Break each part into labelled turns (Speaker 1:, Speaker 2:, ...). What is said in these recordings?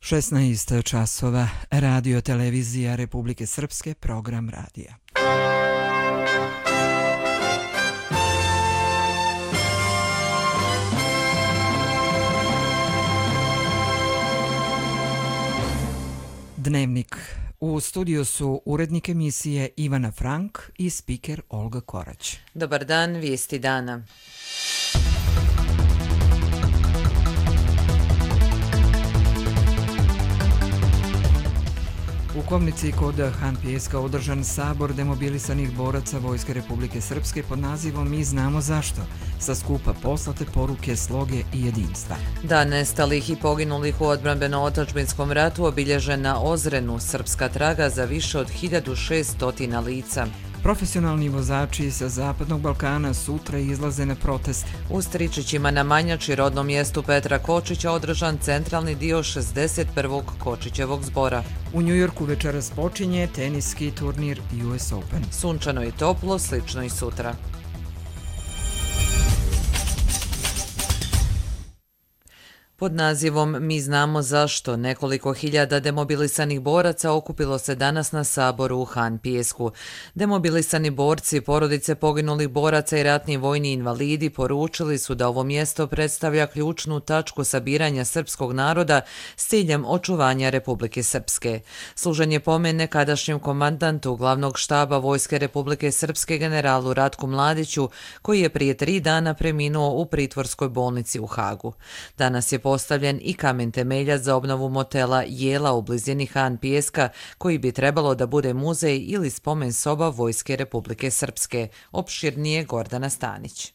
Speaker 1: 16 časova, Radio Televizija Republike Srpske, program radija. Dnevnik. U studiju su urednik emisije Ivana Frank i spiker Olga Korać.
Speaker 2: Dobar dan, vijesti dana.
Speaker 1: U Komnici kod Han Pijeska održan sabor demobilisanih boraca Vojske Republike Srpske pod nazivom Mi znamo zašto, sa skupa poslate poruke sloge i jedinstva.
Speaker 2: Dan nestalih i poginulih u odbrambeno-otadžbinskom ratu obilježen na Ozrenu, srpska traga za više od 1600 lica.
Speaker 1: Profesionalni vozači sa Zapadnog Balkana sutra izlaze na protest.
Speaker 2: U Stričićima na Manjači, rodnom mjestu Petra Kočića, održan centralni dio 61. Kočićevog zbora.
Speaker 1: U Njujorku večeras počinje teniski turnir US Open.
Speaker 2: Sunčano i toplo, slično i sutra. Pod nazivom Mi znamo zašto nekoliko hiljada demobilisanih boraca okupilo se danas na saboru u Han Pijesku. Demobilisani borci, porodice poginulih boraca i ratni vojni invalidi poručili su da ovo mjesto predstavlja ključnu tačku sabiranja srpskog naroda s ciljem očuvanja Republike Srpske. Služenje pomene nekadašnjem komandantu glavnog štaba Vojske Republike Srpske generalu Ratku Mladiću, koji je prije 3 dana preminuo u pritvorskoj bolnici u Hagu. Danas je postavljen i kamen temeljac za obnovu motela Jela u blizini Han Pijeska, koji bi trebalo da bude muzej ili spomen soba Vojske Republike Srpske. Opširnije Gordana Stanić.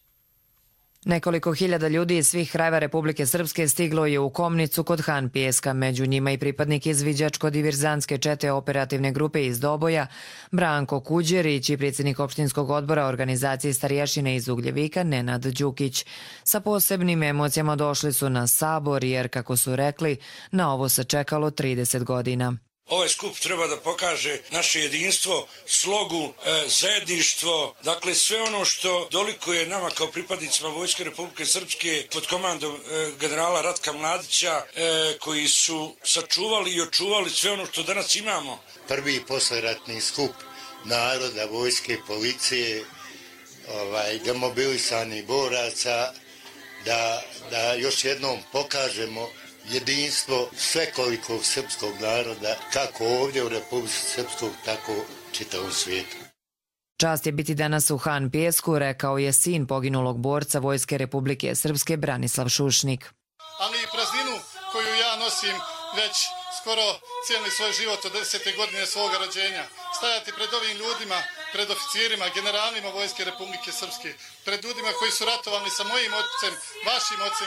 Speaker 3: Nekoliko hiljada ljudi iz svih krajeva Republike Srpske stiglo je u Komnicu kod Han Pijeska, među njima i pripadnik izviđačko-diverzantske čete operativne grupe iz Doboja, Branko Kuđerić i predsjednik opštinskog odbora organizacije Starješine iz Ugljevika, Nenad Đukić. Sa posebnim emocijama došli su na sabor jer, kako su rekli, na ovo se čekalo 30 godina.
Speaker 4: Ovaj skup treba da pokaže naše jedinstvo, slogu, zajedništvo, dakle sve ono što dolikuje nama kao pripadnicima Vojske Republike Srpske pod komandom generala Ratka Mladića, koji su sačuvali i očuvali sve ono što danas imamo.
Speaker 5: Prvi posleratni skup naroda, vojske, policije, demobilisanih boraca, da još jednom pokažemo jedinstvo svekolikog srpskog naroda, kako ovdje u Republici Srpskoj, tako čitavom svijetu.
Speaker 3: Čast je biti danas u Han Pijesku, rekao je sin poginulog borca Vojske Republike Srpske Branislav Šušnik.
Speaker 6: Ali i prazninu koju ja nosim već skoro cijeli svoj život od 10. godine svoga rođenja. Stajati pred ovim ljudima, pred oficirima, generalima Vojske Republike Srpske, pred ljudima koji su ratovali sa mojim ocem,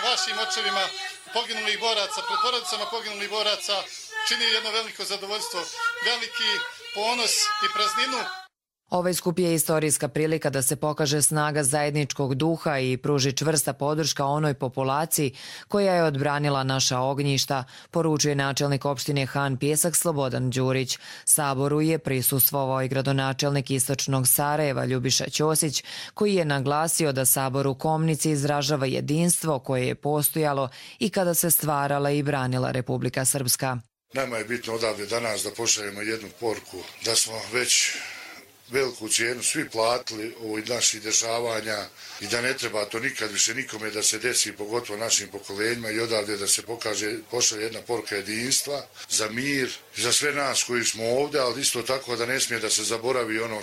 Speaker 6: vašim očevima poginulih boraca, pred porodicama poginulih boraca, čini jedno veliko zadovoljstvo, veliki ponos i prazninu.
Speaker 3: Ovaj skup je istorijska prilika da se pokaže snaga zajedničkog duha i pruži čvrsta podrška onoj populaciji koja je odbranila naša ognjišta, poručuje načelnik opštine Han Pijesak Slobodan Đurić. Saboru je prisustvovao i gradonačelnik Istočnog Sarajeva Ljubiša Ćosić, koji je naglasio da sabor u Komnici izražava jedinstvo koje je postojalo i kada se stvarala i branila Republika Srpska.
Speaker 7: Nama je bitno odavde danas da pošaljemo jednu poruku da smo već veliku cijenu svi platili ovih naših dešavanja i da ne treba to nikad više nikome da se desi, pogotovo našim pokolenjima, i odavde da se pošalje jedna poruka jedinstva za mir, za sve nas koji smo ovdje, ali isto tako da ne smije da se zaboravi ono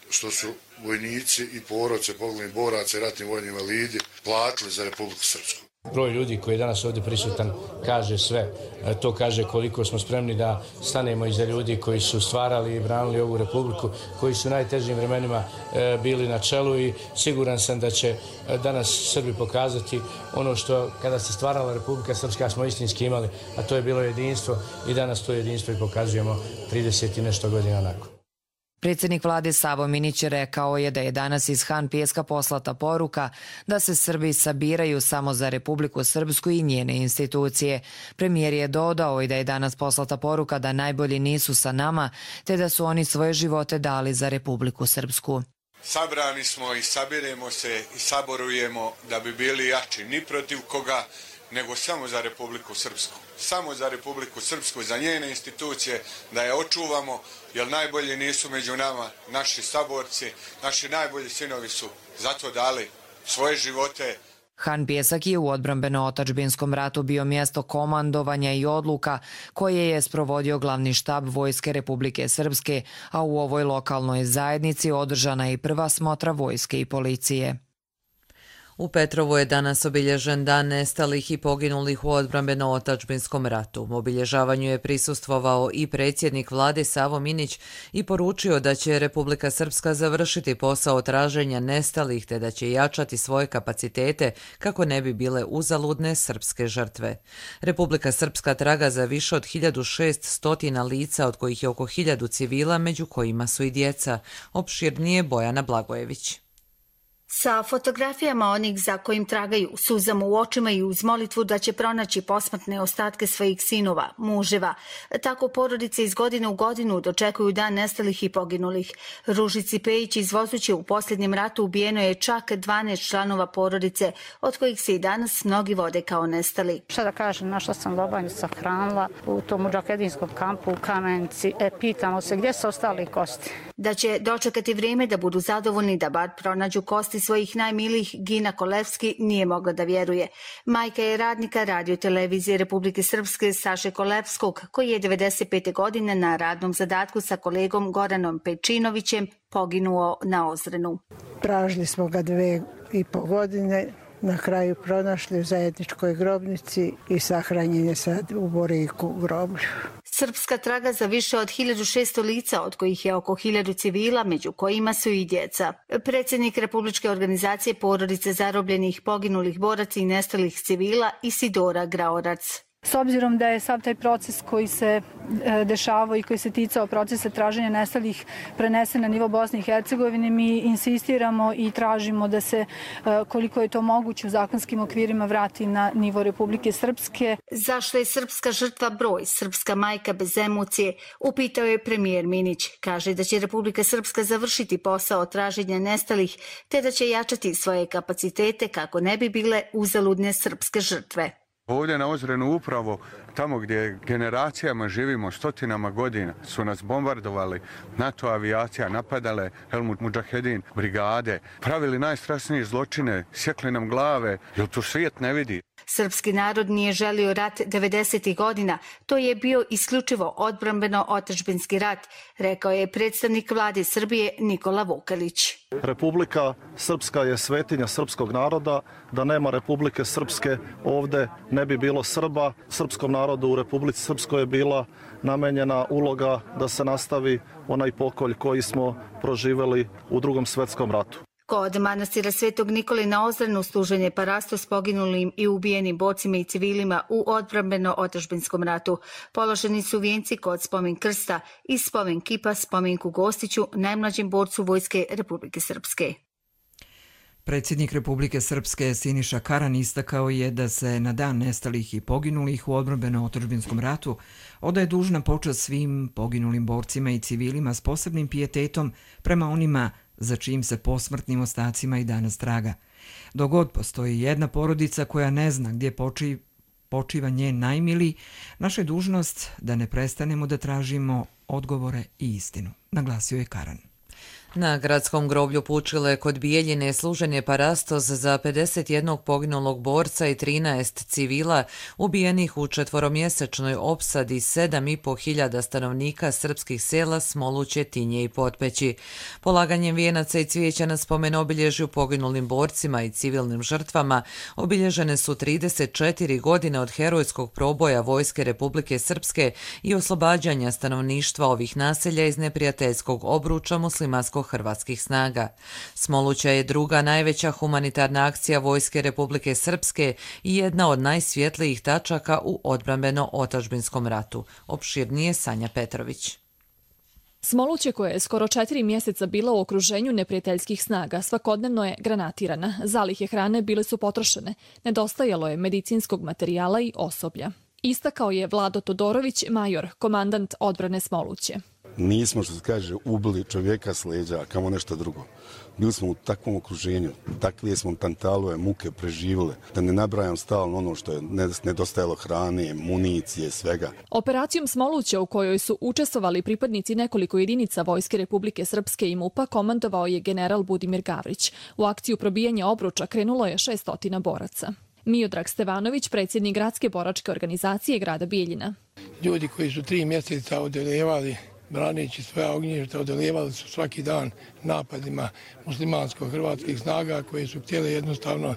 Speaker 7: što su vojnici i porodce poginulih boraca i ratni vojni invalidi platili za Republiku Srpsku.
Speaker 8: Broj ljudi koji je danas ovdje prisutan kaže sve. To kaže koliko smo spremni da stanemo iza ljudi koji su stvarali i branili ovu republiku, koji su u najtežim vremenima bili na čelu, i siguran sam da će danas Srbi pokazati ono što kada se stvarala Republika Srpska smo istinski imali, a to je bilo jedinstvo, i danas to jedinstvo i pokazujemo 30 i nešto godina nakon.
Speaker 3: Predsjednik vlade Savo Minić rekao je da je danas iz Han Pijeska poslata poruka da se Srbi sabiraju samo za Republiku Srpsku i njene institucije. Premijer je dodao i da je danas poslata poruka da najbolji nisu sa nama, te da su oni svoje živote dali za Republiku Srpsku.
Speaker 9: Sabrani smo i sabiremo se i saborujemo da bi bili jači ni protiv koga, nego samo za Republiku Srpsku. Samo za Republiku Srpsku, za njene institucije, da je očuvamo, jer najbolji nisu među nama naši saborci, naši najbolji sinovi su zato dali svoje živote.
Speaker 3: Han Pjesak je u odbrambeno-otadžbinskom ratu bio mjesto komandovanja i odluka koje je sprovodio glavni štab Vojske Republike Srpske, a u ovoj lokalnoj zajednici održana je i prva smotra vojske i policije.
Speaker 2: U Petrovu je danas obilježen dan nestalih i poginulih u odbrambeno-otadžbinskom ratu. U obilježavanju je prisustvovao i predsjednik vlade Savo Minić i poručio da će Republika Srpska završiti posao traženja nestalih te da će jačati svoje kapacitete kako ne bi bile uzaludne srpske žrtve. Republika Srpska traga za više od 1600 lica, od kojih je oko 1000 civila, među kojima su i djeca. Opširnije Bojana Blagojević.
Speaker 10: Sa fotografijama onih za kojim tragaju, suzama u očima i uz molitvu da će pronaći posmrtne ostatke svojih sinova, muževa. Tako porodice iz godine u godinu dočekuju dan nestalih i poginulih. Ružici Pejić iz Vozuće u posljednjem ratu ubijeno je čak 12 članova porodice, od kojih se i danas mnogi vode kao nestali.
Speaker 11: Šta da kažem, našla sam lobanju sahranila u tom mudžahedinskom kampu u Kamenici. Pitamo se gdje su ostali kosti.
Speaker 10: Da će dočekati vrijeme da budu zadovoljni da bar pronađu kosti svojih najmilijih, Gina Kolevski nije mogla da vjeruje. Majka je radnika Radio-televizije Republike Srpske Saše Kolevskog, koji je 95. godine na radnom zadatku sa kolegom Goranom Pečinovićem poginuo na Ozrenu.
Speaker 12: Tražili smo ga 2,5 godine, na kraju pronašli u zajedničkoj grobnici i sahranjen je sad u Boriku groblju.
Speaker 10: Srpska traga za više od 1600 lica, od kojih je oko 1000 civila, među kojima su i djeca. Predsjednik Republičke organizacije porodice zarobljenih, poginulih boraca i nestalih civila Isidora Graorac.
Speaker 13: S obzirom da je sav taj proces koji se dešavao i koji se ticao procesa traženja nestalih prenesen na nivo Bosne i Hercegovine, mi insistiramo i tražimo da se, koliko je to moguće, u zakonskim okvirima vrati na nivo Republike Srpske.
Speaker 10: Zašto je srpska žrtva broj, srpska majka bez emocije, upitao je premijer Minić. Kaže da će Republika Srpska završiti posao traženja nestalih, te da će jačati svoje kapacitete kako ne bi bile uzaludne srpske žrtve.
Speaker 9: Ovdje na Ozrenu, upravo tamo gdje generacijama živimo, stotinama godina, su nas bombardovali NATO avijacija, napadale Helmut Mudžahedin, brigade, pravili najstrašnije zločine, sjekli nam glave, jer to svijet ne vidi.
Speaker 10: Srpski narod nije želio rat 90. godina, to je bio isključivo odbrambeno-otadžbinski rat, rekao je predstavnik vlade Srbije Nikola Vukelić.
Speaker 14: Republika Srpska je svetinja srpskog naroda, da nema Republike Srpske ovde ne bi bilo Srba. Srpskom narodu u Republici Srpskoj je bila namenjena uloga da se nastavi onaj pokolj koji smo proživeli u Drugom svjetskom ratu.
Speaker 10: Kod manastira Svetog Nikole na Ozrenu služen je parasto s poginulim i ubijenim borcima i civilima u odbrambeno-otadžbinskom ratu. Položeni su vijenci kod spomen krsta i spomen kipa spominku Gostiću, najmlađem borcu Vojske Republike Srpske.
Speaker 1: Predsjednik Republike Srpske Siniša Karan istakao je da se na dan nestalih i poginulih u odbrambeno-otadžbinskom ratu odaje dužna počast svim poginulim borcima i civilima s posebnim pijetetom prema onima za čijim se posmrtnim ostacima i danas traga. Dok god postoji jedna porodica koja ne zna gdje počiva njen najmiliji, naša je dužnost da ne prestanemo da tražimo odgovore i istinu, naglasio je Karan.
Speaker 2: Na gradskom groblju Pučile kod Bijeljine služen je parastos za 51 poginulog borca i 13 civila ubijenih u 4-mjesečnoj opsadi 7.500 stanovnika srpskih sela Smoluće, Tinje i Potpeći. Polaganjem vijenaca i cvijeća na spomen obilježju poginulim borcima i civilnim žrtvama obilježene su 34 godine od herojskog proboja Vojske Republike Srpske i oslobađanja stanovništva ovih naselja iz neprijateljskog obruča muslimansko-hrvatskih snaga. Smoluća je druga najveća humanitarna akcija Vojske Republike Srpske i jedna od najsvjetlijih tačaka u odbrambeno-otadžbinskom ratu. Opširnije Sanja Petrović.
Speaker 15: Smoluće, koja je skoro 4 mjeseca bila u okruženju neprijateljskih snaga, svakodnevno je granatirana. Zalihe hrane bile su potrošene. Nedostajalo je medicinskog materijala i osoblja. Istakao je Vlado Todorović, major, komandant odbrane Smoluće.
Speaker 16: nismo, što se kaže, ubili čovjeka s leđa, kamo nešto drugo. Bili smo u takvom okruženju, takve smo tantalove, muke preživjeli, da ne nabrajam stalno ono što je nedostajalo hrane, municije, svega.
Speaker 15: Operacijom Smoluća, u kojoj su učestvovali pripadnici nekoliko jedinica Vojske Republike Srpske i MUP-a, komandovao je general Budimir Gavrić. U akciju probijanja obruča krenulo je 600 boraca. Miodrag Stevanović, predsjednik gradske boračke organizacije grada Bijeljina.
Speaker 17: Ljudi koji su 3 mjeseca odeljevali, braneći svoja ognjišta, odeljevali su svaki dan napadima muslimansko-hrvatskih snaga koje su htjeli jednostavno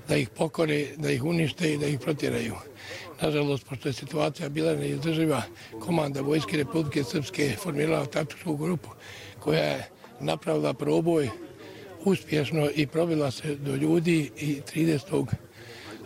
Speaker 17: da ih pokore, da ih unište i da ih protjeraju. Nažalost, pošto je situacija bila neizdrživa, komanda Vojske Republike Srpske formirala taktičku grupu koja je napravila proboj uspješno i probila se do ljudi i 30.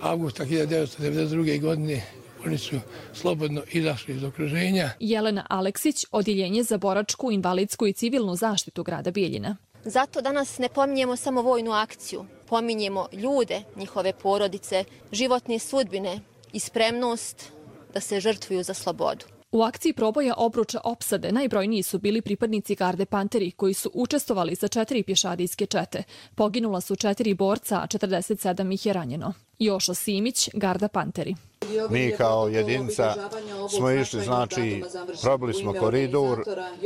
Speaker 17: avgusta 1992. godine oni su slobodno izašli iz okruženja.
Speaker 15: Jelena Aleksić, Odjeljenje za boračku, invalidsku i civilnu zaštitu grada Bijeljina.
Speaker 18: Zato danas ne pominjemo samo vojnu akciju, pominjemo ljude, njihove porodice, životne sudbine i spremnost da se žrtvuju za slobodu.
Speaker 15: U akciji proboja obruča opsade najbrojniji su bili pripadnici Garde Panteri koji su učestvovali sa 4 pješadijske čete. Poginula su 4 borca, a 47 ih je ranjeno. Jošo Simić, Garda Panteri.
Speaker 19: Mi kao jedinica smo išli, znači, probili smo koridor,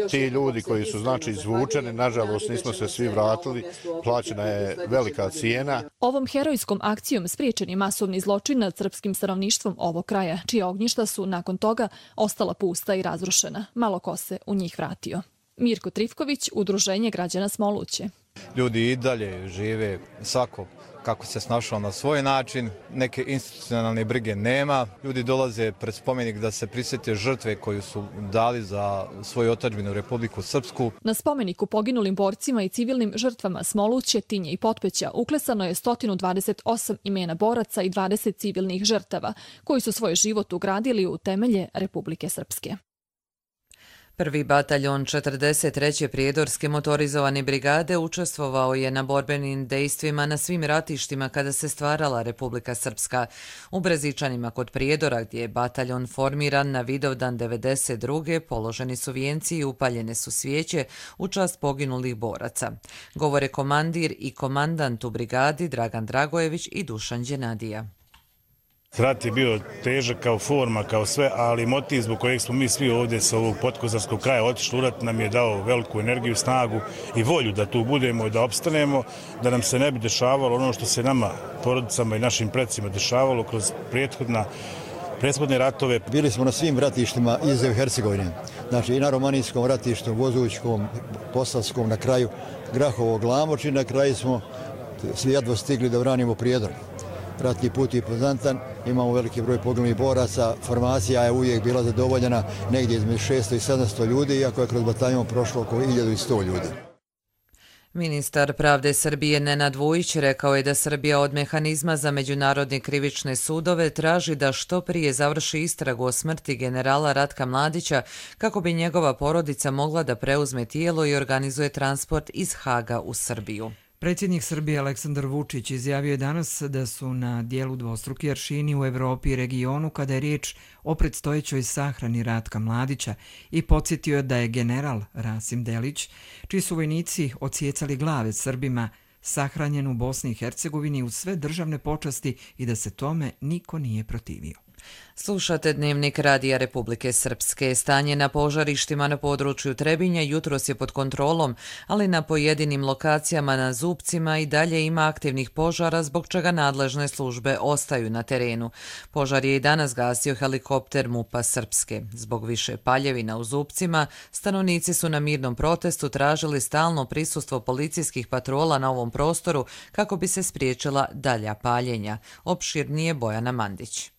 Speaker 19: ti ljudi koji su, znači, izvučeni, nažalost nismo se svi vratili, plaćena je velika cijena.
Speaker 15: Ovom herojskom akcijom spriječen je masovni zločin nad srpskim stanovništvom ovog kraja, čija ognjišta su nakon toga ostala pusta i razrušena. Malo ko se u njih vratio. Mirko Trifković, Udruženje građana Smoluće.
Speaker 20: Ljudi i dalje žive svako kako se snašao na svoj način, neke institucionalne brige nema. Ljudi dolaze pred spomenik da se prisjete žrtve koju su dali za svoju otadžbinu Republiku Srpsku.
Speaker 15: Na spomeniku poginulim borcima i civilnim žrtvama Smoluće, Tinje i Potpeća uklesano je 128 imena boraca i 20 civilnih žrtava, koji su svoj život ugradili u temelje Republike Srpske.
Speaker 2: Prvi bataljon 43. prijedorske motorizovane brigade učestvovao je na borbenim dejstvima na svim ratištima kada se stvarala Republika Srpska. U Brezičanima kod Prijedora, gdje je bataljon formiran na Vidovdan 92. položeni su vijenci i upaljene su svijeće u čast poginulih boraca. Govore komandir i komandant u brigadi Dragan Dragojević i Dušan Đenadija.
Speaker 21: Rat je bio težak kao forma, kao sve, ali motiv zbog kojeg smo mi svi ovdje sa ovog podkozarskog kraja otišli u rat nam je dao veliku energiju, snagu i volju da tu budemo i da opstanemo, da nam se ne bi dešavalo ono što se nama, porodicama i našim predsima dešavalo kroz prethodne ratove.
Speaker 22: Bili smo na svim ratištima iz Hercegovine, znači i na Romanijskom ratištu, Vozućkom, Posavskom, na kraju Grahovo, Glamoč i na kraju smo svi jedva stigli da branimo Prijedor. Ratni put je poznatan, imamo veliki broj poginulih boraca, formacija je uvijek bila zadovoljena negdje između 600 i 700 ljudi, iako je kroz bataljon prošlo oko 1100 ljudi.
Speaker 2: Ministar pravde Srbije Nenad Vujić rekao je da Srbija od mehanizma za međunarodne krivične sudove traži da što prije završi istragu o smrti generala Ratka Mladića kako bi njegova porodica mogla da preuzme tijelo i organizuje transport iz Haga u Srbiju.
Speaker 1: Predsjednik Srbije Aleksandar Vučić izjavio je danas da su na dijelu dvostruki aršini u Evropi i regionu kada je riječ o predstojećoj sahrani Ratka Mladića i podsjetio da je general Rasim Delić, čiji su vojnici odsjecali glave Srbima, sahranjen u Bosni i Hercegovini uz sve državne počasti i da se tome niko nije protivio.
Speaker 2: Slušate Dnevnik Radija Republike Srpske. Stanje na požarištima na području Trebinja jutros je pod kontrolom, ali na pojedinim lokacijama na Zupcima i dalje ima aktivnih požara zbog čega nadležne službe ostaju na terenu. Požar je i danas gasio helikopter MUP-a Srpske. Zbog više paljevina u Zupcima, stanovnici su na mirnom protestu tražili stalno prisustvo policijskih patrola na ovom prostoru kako bi se spriječila dalja paljenja. Opširnije Bojana Mandić.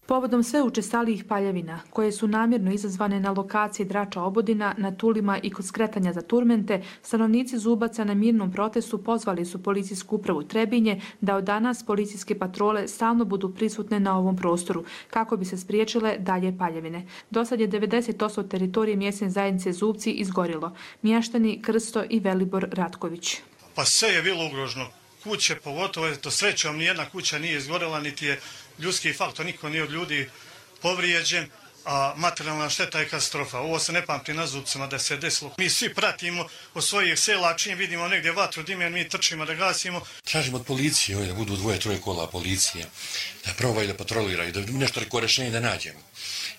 Speaker 23: Povodom sve učestalijih paljevina, koje su namjerno izazvane na lokaciji Drača Obodina, na Tulima i kod skretanja za Turmente, stanovnici Zubaca na mirnom protestu pozvali su policijsku upravu Trebinje da od danas policijske patrole stalno budu prisutne na ovom prostoru, kako bi se spriječile dalje paljevine. Dosad je 90% teritorije mjesne zajednice Zubci izgorilo. Mještani Krsto i Velibor Ratković.
Speaker 6: Pa sve je bilo ugroženo. Kuće, pogotovo, to srećom, nijedna kuća nije izgorela, niti je ljudski faktor, niko nije od ljudi povrijeđen, a materijalna šteta je katastrofa. Ovo se ne pamti na zubcima da se desilo. Mi svi pratimo od svojih sela, čim vidimo negdje vatru dime, mi trčimo da gasimo.
Speaker 4: Tražimo od policije da budu 2-3 kola policije, da probaju da patroliraju, da nešto reko rešenje da nađemo.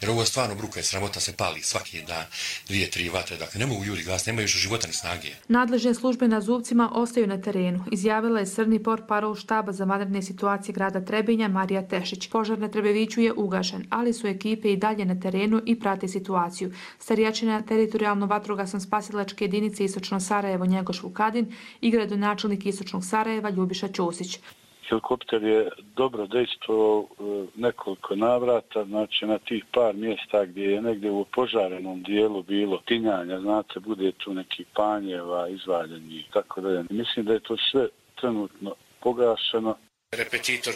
Speaker 4: Jer ovo je stvarno bruka i sramota, se pali svaki dan 2-3 vatre. Dakle, ne mogu ljudi gas, nemaju više života ni snage.
Speaker 23: Nadležne službe na Zubcima ostaju na terenu, izjavila je srni portparol štaba za vanredne situacije grada Trebinja Marija Tešić. Požar na Trebeviću je ugašen, ali su ekipe i dalje na terenu i prate situaciju. Starjačina teritorijalno vatrogasno spasilačke jedinice Istočno Sarajevo Njegoš Vukadin i gradonačelnik Istočnog Sarajeva Ljubiša Ćosić.
Speaker 5: Helikopter je dobro dejstvovao nekoliko navrata, znači na tih par mjesta gdje je negdje u požarenom dijelu bilo tinjanja, znate, bude tu neki panjeva, izvaljeni i tako dalje. Mislim da je to sve trenutno pogašeno.
Speaker 8: Repetitor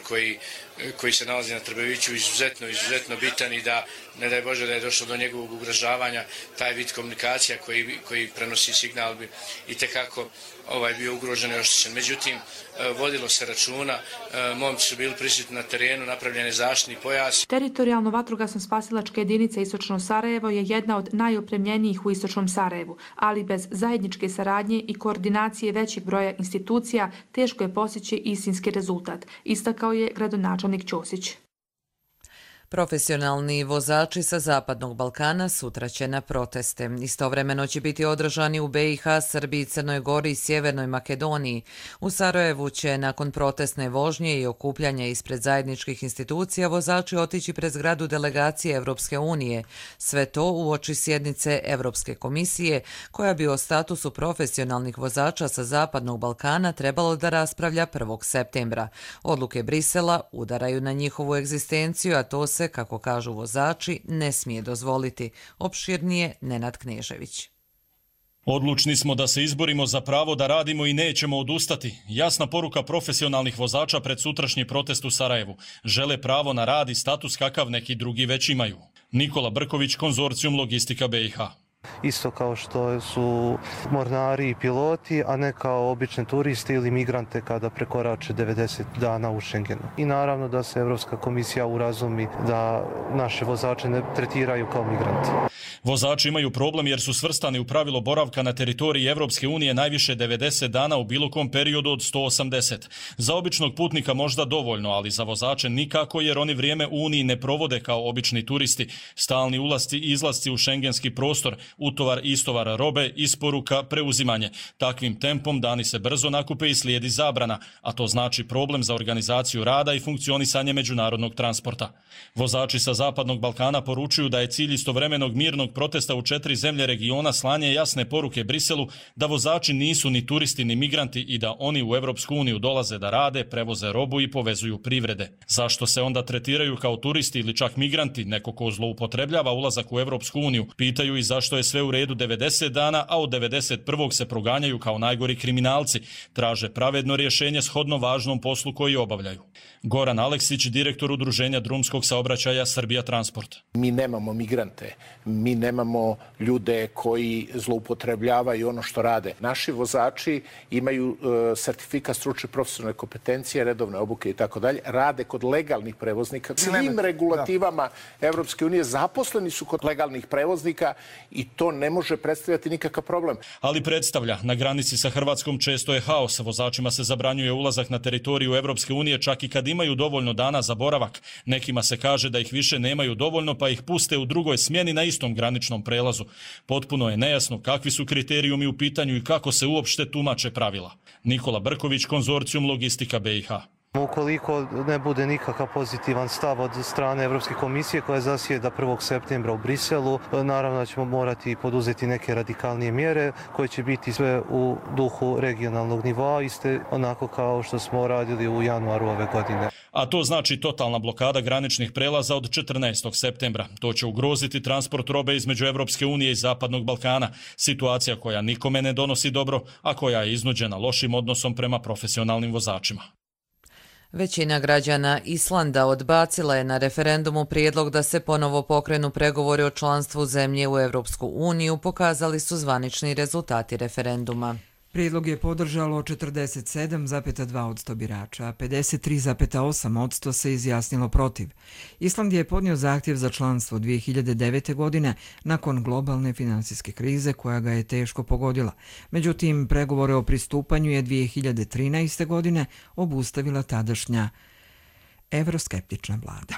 Speaker 8: koji se nalazi na Trbeviću izuzetno bitan i da, ne daj Bože da je došlo do njegovog ugrožavanja, taj vid komunikacija koji prenosi signal bi itekako bio ugrožen i oštećen. Međutim, vodilo se računa, momci su bili prisutni na terenu, napravljene zaštitni pojas.
Speaker 23: Teritorijalno vatrogasno spasilačke jedinice Istočno Sarajevo je jedna od najopremljenijih u Istočnom Sarajevu, ali bez zajedničke saradnje i koordinacije većeg broja institucija teško je postići istinski rezultat, istakao je gradonačelnik Ćosić.
Speaker 2: Profesionalni vozači sa Zapadnog Balkana sutra će na proteste. Istovremeno će biti održani u BiH, Srbiji, Crnoj Gori i Sjevernoj Makedoniji. U Sarajevu će nakon protestne vožnje i okupljanja ispred zajedničkih institucija vozači otići pred zgradu delegacije Evropske unije. Sve to uoči sjednice Evropske komisije, koja bi o statusu profesionalnih vozača sa Zapadnog Balkana trebalo da raspravlja 1. septembra. Odluke Brisela udaraju na njihovu egzistenciju, a to se, kako kažu vozači, ne smije dozvoliti. Opširnije Nenad Knežević.
Speaker 7: Odlučni smo da se izborimo za pravo da radimo i nećemo odustati. Jasna poruka profesionalnih vozača pred sutrašnji protest u Sarajevu. Žele pravo na rad i status kakav neki drugi već imaju. Nikola Brković, Konzorcijum Logistika BiH.
Speaker 24: Isto kao što su mornari i piloti, a ne kao obični turisti ili migrante kada prekorače 90 dana u Schengenu. I naravno da se Evropska komisija urazumi da naše vozače ne tretiraju kao migranti.
Speaker 7: Vozači imaju problem jer su svrstani u pravilo boravka na teritoriji Evropske unije najviše 90 dana u bilo kom periodu od 180. Za običnog putnika možda dovoljno, ali za vozače nikako jer oni vrijeme u Uniji ne provode kao obični turisti. Stalni ulasci i izlasci u šengenski prostor, utovar i istovar robe, isporuka, preuzimanje. Takvim tempom dani se brzo nakupe i slijedi zabrana, a to znači problem za organizaciju rada i funkcionisanje međunarodnog transporta. Vozači sa Zapadnog Balkana poručuju da je cilj istovremenog mirnog protesta u 4 zemlje regiona slanje jasne poruke Briselu da vozači nisu ni turisti ni migranti i da oni u Evropsku uniju dolaze da rade, prevoze robu i povezuju privrede. Zašto se onda tretiraju kao turisti ili čak migranti, neko ko zloupotrebljava ulazak u Evropsku uniju, pitaju i zašto je sve u redu 90 dana, a od 91. se proganjaju kao najgori kriminalci. Traže pravedno rješenje shodno važnom poslu koji obavljaju. Goran Aleksić, direktor Udruženja drumskog saobraćaja Srbija Transport.
Speaker 25: Mi nemamo migrante, mi nemamo ljude koji zloupotrebljavaju ono što rade. Naši vozači imaju sertifikat stručne profesionalne kompetencije, redovne obuke i tako dalje, rade kod legalnih prevoznika. Svim regulativama Evropske unije zaposleni su kod legalnih prevoznika i to ne može predstavljati nikakav problem.
Speaker 7: Ali predstavlja. Na granici sa Hrvatskom često je haos. Vozačima se zabranjuje ulazak na teritoriju Evropske unije čak i kad imaju dovoljno dana za boravak. Nekima se kaže da ih više nemaju dovoljno pa ih puste u drugoj smjeni na istom graničnom prelazu. Potpuno je nejasno kakvi su kriterijumi u pitanju i kako se uopšte tumače pravila. Nikola Brković, Konzorcijum Logistika BiH.
Speaker 24: Ukoliko ne bude nikakav pozitivan stav od strane Evropske komisije koja zasjeda 1. septembra u Briselu, naravno da ćemo morati poduzeti neke radikalnije mjere koje će biti sve u duhu regionalnog nivoa, iste onako kao što smo radili u januaru ove godine.
Speaker 7: A to znači totalna blokada graničnih prelaza od 14. septembra. To će ugroziti transport robe između Evropske unije i Zapadnog Balkana. Situacija koja nikome ne donosi dobro, a koja je iznuđena lošim odnosom prema profesionalnim vozačima.
Speaker 2: Većina građana Islanda odbacila je na referendumu prijedlog da se ponovo pokrenu pregovori o članstvu zemlje u Evropsku uniju, pokazali su zvanični rezultati referenduma.
Speaker 1: Prijedlog je podržalo 47,2% birača, a 53,8% se izjasnilo protiv. Island je podnio zahtjev za članstvo 2009. godine nakon globalne finansijske krize koja ga je teško pogodila. Međutim, pregovore o pristupanju je 2013. godine obustavila tadašnja evroskeptična vlada.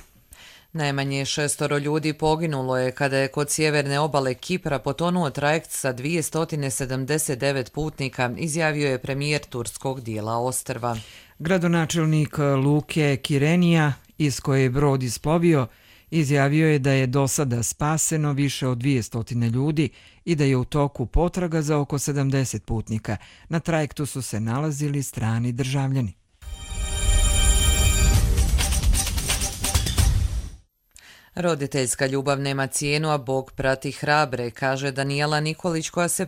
Speaker 2: Najmanje 6 ljudi poginulo je kada je kod sjeverne obale Kipra potonuo trajekt sa 279 putnika, izjavio je premijer turskog dijela ostrva.
Speaker 1: Gradonačelnik luke Kirenija, iz koje je brod isplovio, izjavio je da je do sada spaseno više od 200 ljudi i da je u toku potraga za oko 70 putnika. Na trajektu su se nalazili strani državljani.
Speaker 2: Roditeljska ljubav nema cijenu, a Bog prati hrabre, kaže Danijela Nikolić koja se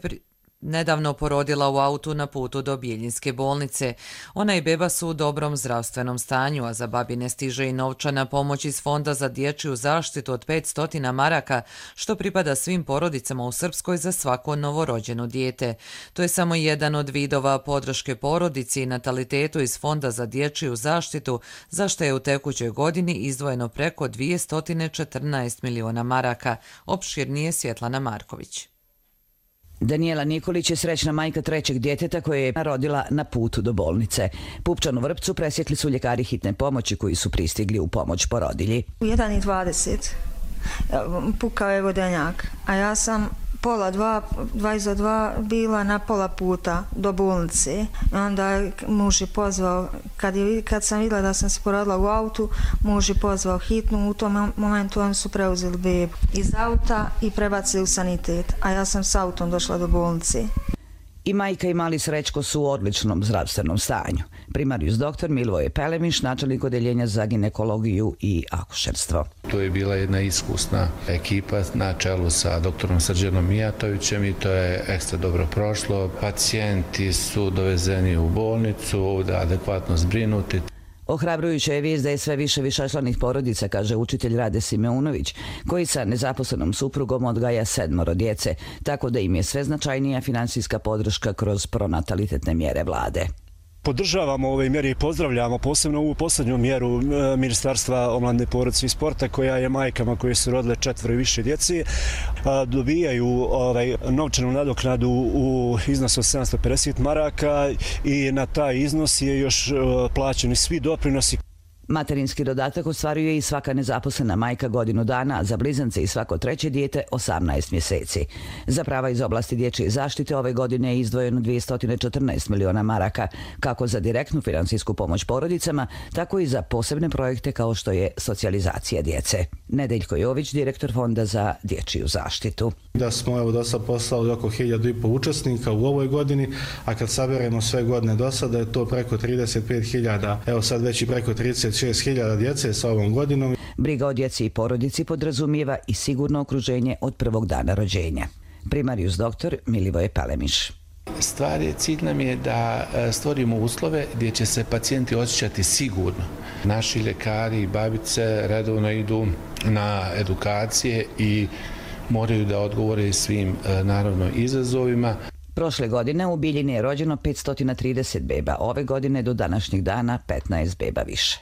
Speaker 2: nedavno porodila u autu na putu do Bjeljinske bolnice. Ona i beba su u dobrom zdravstvenom stanju, a za babine stiže i novčana pomoć iz Fonda za dječju zaštitu od 500 maraka, što pripada svim porodicama u Srpskoj za svako novorođeno dijete. To je samo jedan od vidova podrške porodici i natalitetu iz Fonda za dječju zaštitu, za što je u tekućoj godini izdvojeno preko 214 miliona maraka. Opširnije Svjetlana Marković.
Speaker 3: Danijela Nikolić je srećna majka trećeg djeteta koje je rodila na putu do bolnice. Pupčanu vrpcu presjekli su ljekari hitne pomoći koji su pristigli u pomoć porodilji.
Speaker 9: U 1:20 pukao je vodenjak, a ja sam pola 2 bila na pola puta do bolnice. Onda je muž je pozvao, kad sam vidjela da sam se porodila u autu, muž je pozvao hitnu, u tom momentu oni su preuzeli bebu iz auta i prebacili u sanitet, a ja sam s autom došla do bolnice.
Speaker 3: I majka i mali Srećko su u odličnom zdravstvenom stanju. Primarijus doktor Milivoje Pelemiš, načelnik odeljenja za ginekologiju i akušerstvo.
Speaker 11: To je bila jedna iskusna ekipa na čelu sa doktorom Srđanom Mijatovićem i to je ekstra dobro prošlo. Pacijenti su dovezeni u bolnicu, ovdje adekvatno zbrinuti.
Speaker 3: Ohrabrujuća je vijest da je sve više višečlanih porodica, kaže učitelj Rade Simeunović, koji sa nezaposlenom suprugom odgaja 7 djece, tako da im je sve značajnija finansijska podrška kroz pronatalitetne mjere vlade.
Speaker 12: Podržavamo ove mjere i pozdravljamo posebno ovu posljednju mjeru Ministarstva omladine, porodice i sporta koja je majkama koje su rodile 4 i više djece dobijaju novčanu nadoknadu u iznosu od 750 maraka i na taj iznos je još plaćeni svi doprinosi.
Speaker 3: Materinski dodatak ostvaruje i svaka nezaposlena majka godinu dana, za blizance i svako treće dijete 18 mjeseci. Za prava iz oblasti dječje zaštite ove godine je izdvojeno 214 miliona maraka, kako za direktnu finansijsku pomoć porodicama, tako i za posebne projekte kao što je socijalizacija djece. Nedeljko Jović, direktor Fonda za dječju zaštitu.
Speaker 13: Da smo do sad poslali oko 1.500 učesnika u ovoj godini, a kad saberemo sve godine do sada je to preko 35.000, evo sad već i preko 36.000 djece sa ovom godinom.
Speaker 3: Briga o djeci i porodici podrazumijeva i sigurno okruženje od prvog dana rođenja. Primarijus doktor Milivoje Pelemiš.
Speaker 11: Cilj nam je da stvorimo uslove gdje će se pacijenti osjećati sigurno. Naši ljekari i babice redovno idu na edukacije i moraju da odgovore svim naravno izazovima.
Speaker 3: Prošle godine u Biljini je rođeno 530 beba, ove godine do današnjeg dana 15 beba više.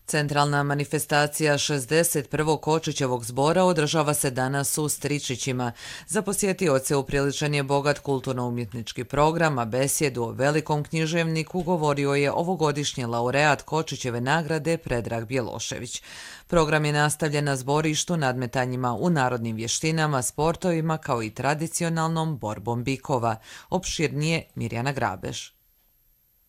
Speaker 2: Centralna manifestacija 61. Kočićevog zbora održava se danas u Stričićima. Za posjetioce upriličan je bogat kulturno-umjetnički program, a besjedu o velikom književniku govorio je ovogodišnji laureat Kočićeve nagrade Predrag Bjelošević. Program je nastavljen na zborištu, nadmetanjima u narodnim vještinama, sportovima kao i tradicionalnom borbom bikova. Opširnije Mirjana Grabež.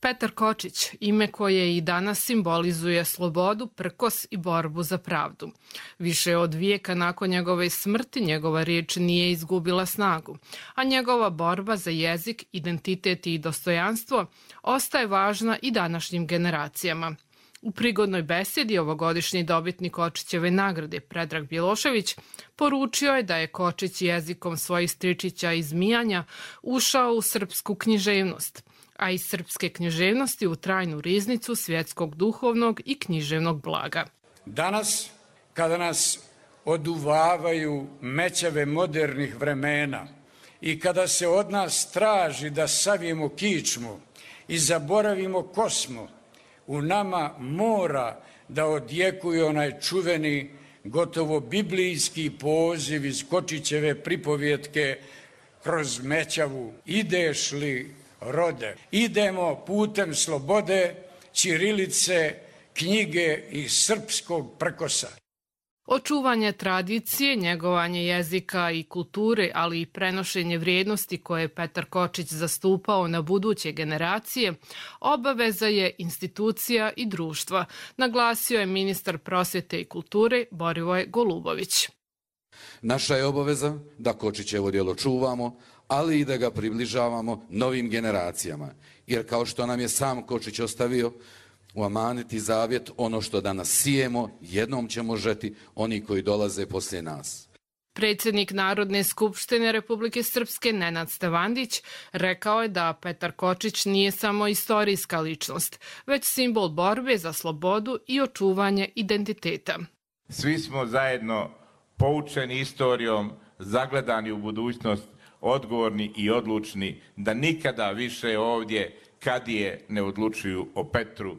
Speaker 26: Petar Kočić, ime koje i danas simbolizuje slobodu, prkos i borbu za pravdu. Više od vijeka nakon njegove smrti njegova riječ nije izgubila snagu, a njegova borba za jezik, identitet i dostojanstvo ostaje važna i današnjim generacijama. U prigodnoj besjedi ovogodišnji dobitnik Kočićeve nagrade Predrag Bjelošević poručio je da je Kočić jezikom svojih stričića i zmijanja ušao u srpsku književnost, a iz srpske književnosti u trajnu riznicu svjetskog duhovnog i književnog blaga.
Speaker 27: Danas, kada nas oduvavaju mećave modernih vremena
Speaker 10: i kada se od nas traži da savijemo kičmu i zaboravimo ko smo, u nama mora da odjekuje onaj čuveni, gotovo biblijski poziv iz Kočićeve pripovjetke kroz Mećavu. Ideš li, rode? Idemo putem slobode, ćirilice, knjige i srpskog prkosa.
Speaker 26: Očuvanje tradicije, njegovanje jezika i kulture, ali i prenošenje vrijednosti koje je Petar Kočić zastupao na buduće generacije, obaveza je institucija i društva, naglasio je ministar prosvjete i kulture Borivoje Golubović.
Speaker 14: Naša je obaveza da Kočićevo djelo čuvamo, ali i da ga približavamo novim generacijama, jer kao što nam je sam Kočić ostavio, u amanet i zavjet, ono što danas sijemo, jednom ćemo žeti oni koji dolaze poslije nas.
Speaker 26: Predsjednik Narodne skupštine Republike Srpske Nenad Stevandić rekao je da Petar Kočić nije samo istorijska ličnost, već simbol borbe za slobodu i očuvanje identiteta.
Speaker 16: Svi smo zajedno poučeni istorijom, zagledani u budućnost, odgovorni i odlučni da nikada više ovdje kadije ne odlučuju o Petru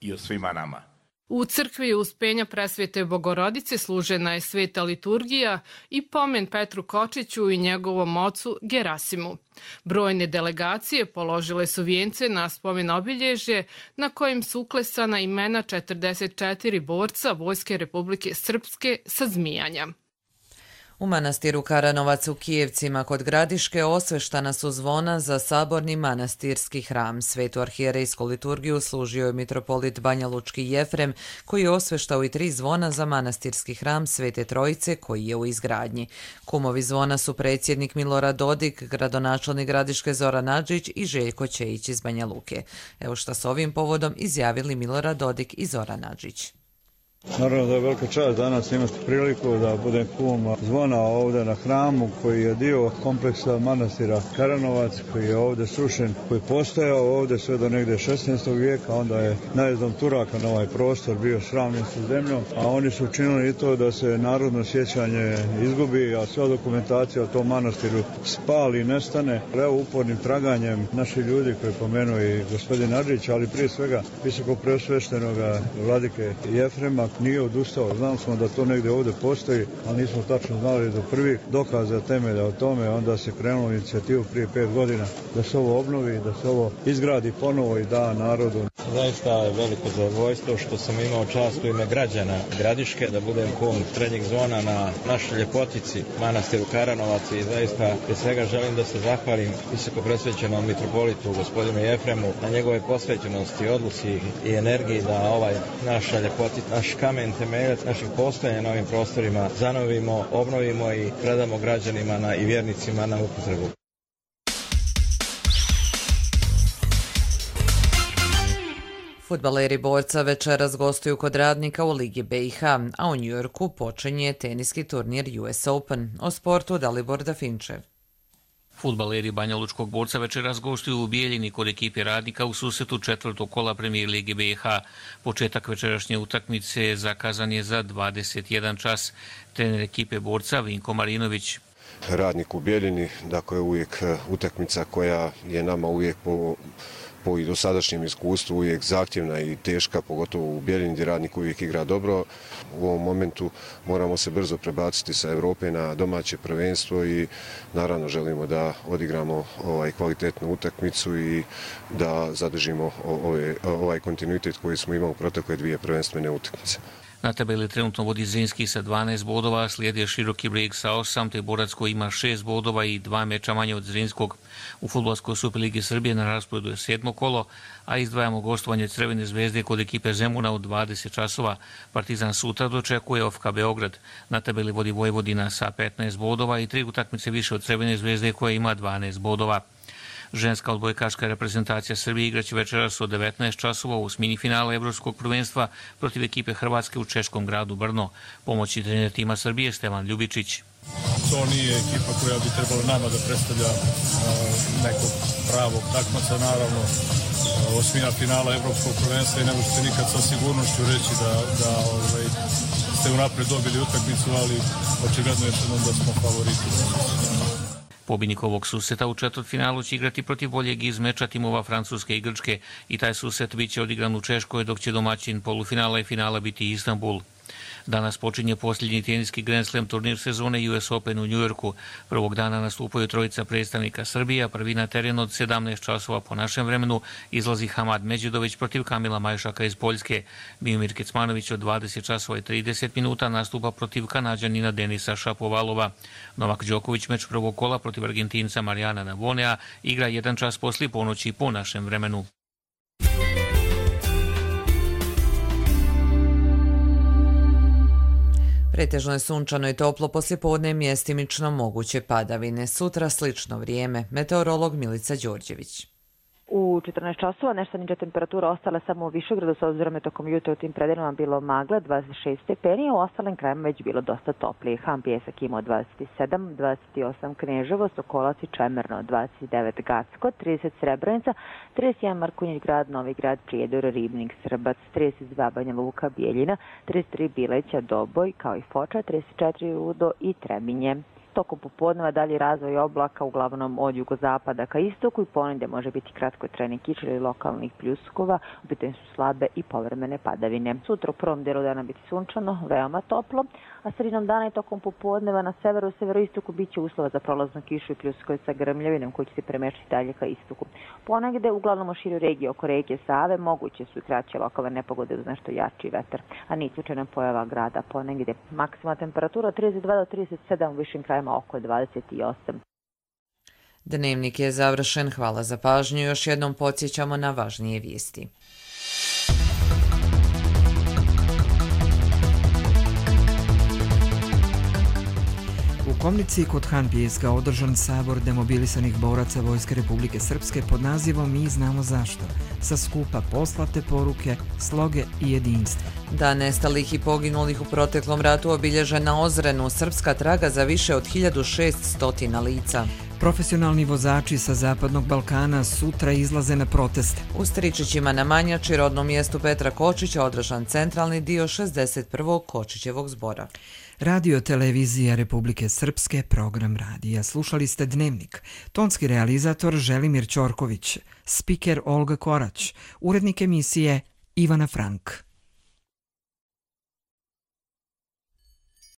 Speaker 16: i o svima nama.
Speaker 26: U crkvi Uspenja Presvete Bogorodice služena je sveta liturgija i pomen Petru Kočiću i njegovom ocu Gerasimu. Brojne delegacije položile su vijence na spomen obilježje na kojim su uklesana imena 44 borca Vojske Republike Srpske sa Zmijanja.
Speaker 2: U manastiru Karanovac u Kijevcima kod Gradiške osveštana su zvona za saborni manastirski hram. Svetu arhijerejsku liturgiju služio je mitropolit Banjalučki Jefrem, koji je osveštao i 3 zvona za manastirski hram Svete Trojice koji je u izgradnji. Kumovi zvona su predsjednik Milorad Dodik, gradonačelnik Gradiške Zoran Adžić i Željko Čejić iz Banja Luke. Evo šta s ovim povodom izjavili Milorad Dodik i Zoran Adžić.
Speaker 17: Naravno da je velika čast danas imati priliku da budem kum zvona ovdje na hramu koji je dio kompleksa manastira Karanovac, koji je ovdje srušen, koji je postojao ovdje sve do negdje 16. vijeka, onda je najezdom Turaka na ovaj prostor bio sravnjen sa zemljom, a oni su učinili i to da se narodno sjećanje izgubi, a sva dokumentacija o tom manastiru spali i nestane. Evo upornim traganjem naši ljudi koji pomenuo i gospodin Adžić, ali prije svega visoko preosveštenoga vladike Jefrema, nije odustao. Znam smo da to negdje ovdje postoji, ali nismo tačno znali do prvih dokaza temelja o tome. Onda se krenulo inicijativu prije 5 godina da se ovo obnovi, da se ovo izgradi ponovo i da narodu.
Speaker 18: Zaista je veliko zadovoljstvo što sam imao čast u ime građana Gradiške da budem kum srednjeg zvona na našoj ljepotici manastiru Karanovac i zaista prije svega želim da se zahvalim visoko presvećenom mitropolitu gospodinu Jefremu na njegove posvećenosti, odluci i energiji da ovaj naša ljepotica, naš kamen temeljac naših postojanja na ovim prostorima zanovimo, obnovimo i predamo građanima i vjernicima na upotrebu.
Speaker 2: Fudbaleri Borca večeras gostuju kod Radnika u Ligi BiH, a u Njujorku počinje teniski turnir US Open. O sportu Dalibor Dafinčev.
Speaker 19: Fudbaleri Banjalučkog Borca večeras gostuju u Bijeljini kod ekipe Radnika u susretu 4. kola Premijer Lige BiH. Početak večerašnje utakmice zakazan je za 21 čas. Trener ekipe Borca Vinko Marinović.
Speaker 27: Radnik u Bijeljini, dakle uvijek utakmica koja je nama uvijek po i dosadašnjem iskustvu uvijek zahtjevna i teška, pogotovo u Bijeljini gdje Radnik uvijek igra dobro. U ovom momentu moramo se brzo prebaciti sa Europe na domaće prvenstvo i naravno želimo da odigramo kvalitetnu utakmicu i da zadržimo ovaj kontinuitet koji smo imali u protekle 2 prvenstvene utakmice.
Speaker 19: Na tabeli trenutno vodi Zrinski sa 12 bodova, slijedi Široki Brijeg sa 8, te Borac koji ima 6 bodova i 2 meča manje od Zrinskog. U Fudbalskoj Superligi Srbije na rasporedu je 7. kolo, a izdvajamo gostovanje Crvene zvezde kod ekipe Zemuna u 20 časova. Partizan sutra dočekuje OFK Beograd. Na tabeli vodi Vojvodina sa 15 bodova i 3 utakmice više od Crvene zvezde koja ima 12 bodova. Ženska odbojkaška reprezentacija Srbije igraće večeras od 19 časova u osmini finala Evropskog prvenstva protiv ekipe Hrvatske u češkom gradu Brno. Pomoćni trener tima Srbije Stevan Ljubičić.
Speaker 28: To nije ekipa koja bi trebala nama da predstavlja nekog pravog takmaca, naravno osmina finala Evropskog prvenstva i ne možete nikad sa sigurnošću reći da ste unapred dobili utakmicu, ali očigledno je da smo favoriti.
Speaker 19: Pobjednik ovog suseta u četvrtfinalu će igrati protiv boljeg iz meča timova Francuske i Grčke i taj suset bit će odigran u Češkoj, dok će domaćin polufinala i finala biti Istanbul. Danas počinje posljednji teniski Grand Slam turnir sezone US Open u Njujorku. Prvog dana nastupaju trojica predstavnika Srbije, a prvi na teren od 17 časova po našem vremenu izlazi Hamad Međidović protiv Kamila Majšaka iz Poljske. Miomir Kecmanović od 20 časova i 30 minuta nastupa protiv Kanađanina Denisa Šapovalova. Novak Đoković meč prvog kola protiv Argentinca Marijana Navonea igra 1 čas poslije ponoći po našem vremenu.
Speaker 2: Pretežno je sunčano i toplo, poslijepodne mjestimično moguće padavine. Sutra slično vrijeme. Meteorolog Milica Đorđević.
Speaker 4: U 14 časova nešto niža temperatura ostala samo u Višegradu, s obzirom je tokom jutra u tim predelima bilo magle, 26 stepeni, a u ostalim krajima već bilo dosta toplije. Han Pijesak imao 27, 28 Kneževo, Sokolac i Čemerno, 29 Gacko, 30 Srebrenica, 31 Markunjić grad, Novi grad, Prijedor, Ribnik, Srbac, 32 Banja Luka, Bijeljina, 33 Bileća, Doboj, kao i Foča, 34 Rudo i Trebinje. Tokom popodneva dalji razvoj oblaka uglavnom od jugozapada ka istoku i ponegdje može biti kratkotrajni kiš ili lokalnih pljuskova, u pitanju su slabe i povremene padavine. Sutra u prvom dijelu dana biti sunčano, veoma toplo, a sredinom dana i tokom popodneva na severu i severoistoku bit će uslova za prolaznu kišu i pljuskove sa grmljavinom koji će se premještati dalje ka istoku. Ponegdje uglavnom u širu regije oko rijeke Save moguće su i kraće lokalne nepogode uz nešto jači vetar, a nije slučajna pojava grada. Ponegdje maksimalna temperatura 32 do 37, u višim krajima oko 28.
Speaker 2: Dnevnik je završen. Hvala za pažnju. Još jednom podsjećamo na važnije vijesti.
Speaker 1: U Komnici kod Han Pijeska održan sabor demobilisanih boraca Vojske Republike Srpske pod nazivom Mi znamo zašto, sa skupa poslate poruke, sloge i jedinstva.
Speaker 2: Dan nestalih i poginulih u proteklom ratu obilježen na Ozrenu, srpska traga za više od 1600 lica.
Speaker 1: Profesionalni vozači sa Zapadnog Balkana sutra izlaze na proteste.
Speaker 2: U Stričićima na Manjači, rodnom mjestu Petra Kočića, održan centralni dio 61. Kočićevog zbora.
Speaker 1: Radio Televizija Republike Srpske, program radija. Slušali ste Dnevnik. Tonski realizator Želimir Ćorković, spiker Olga Korać, urednik emisije Ivana Frank.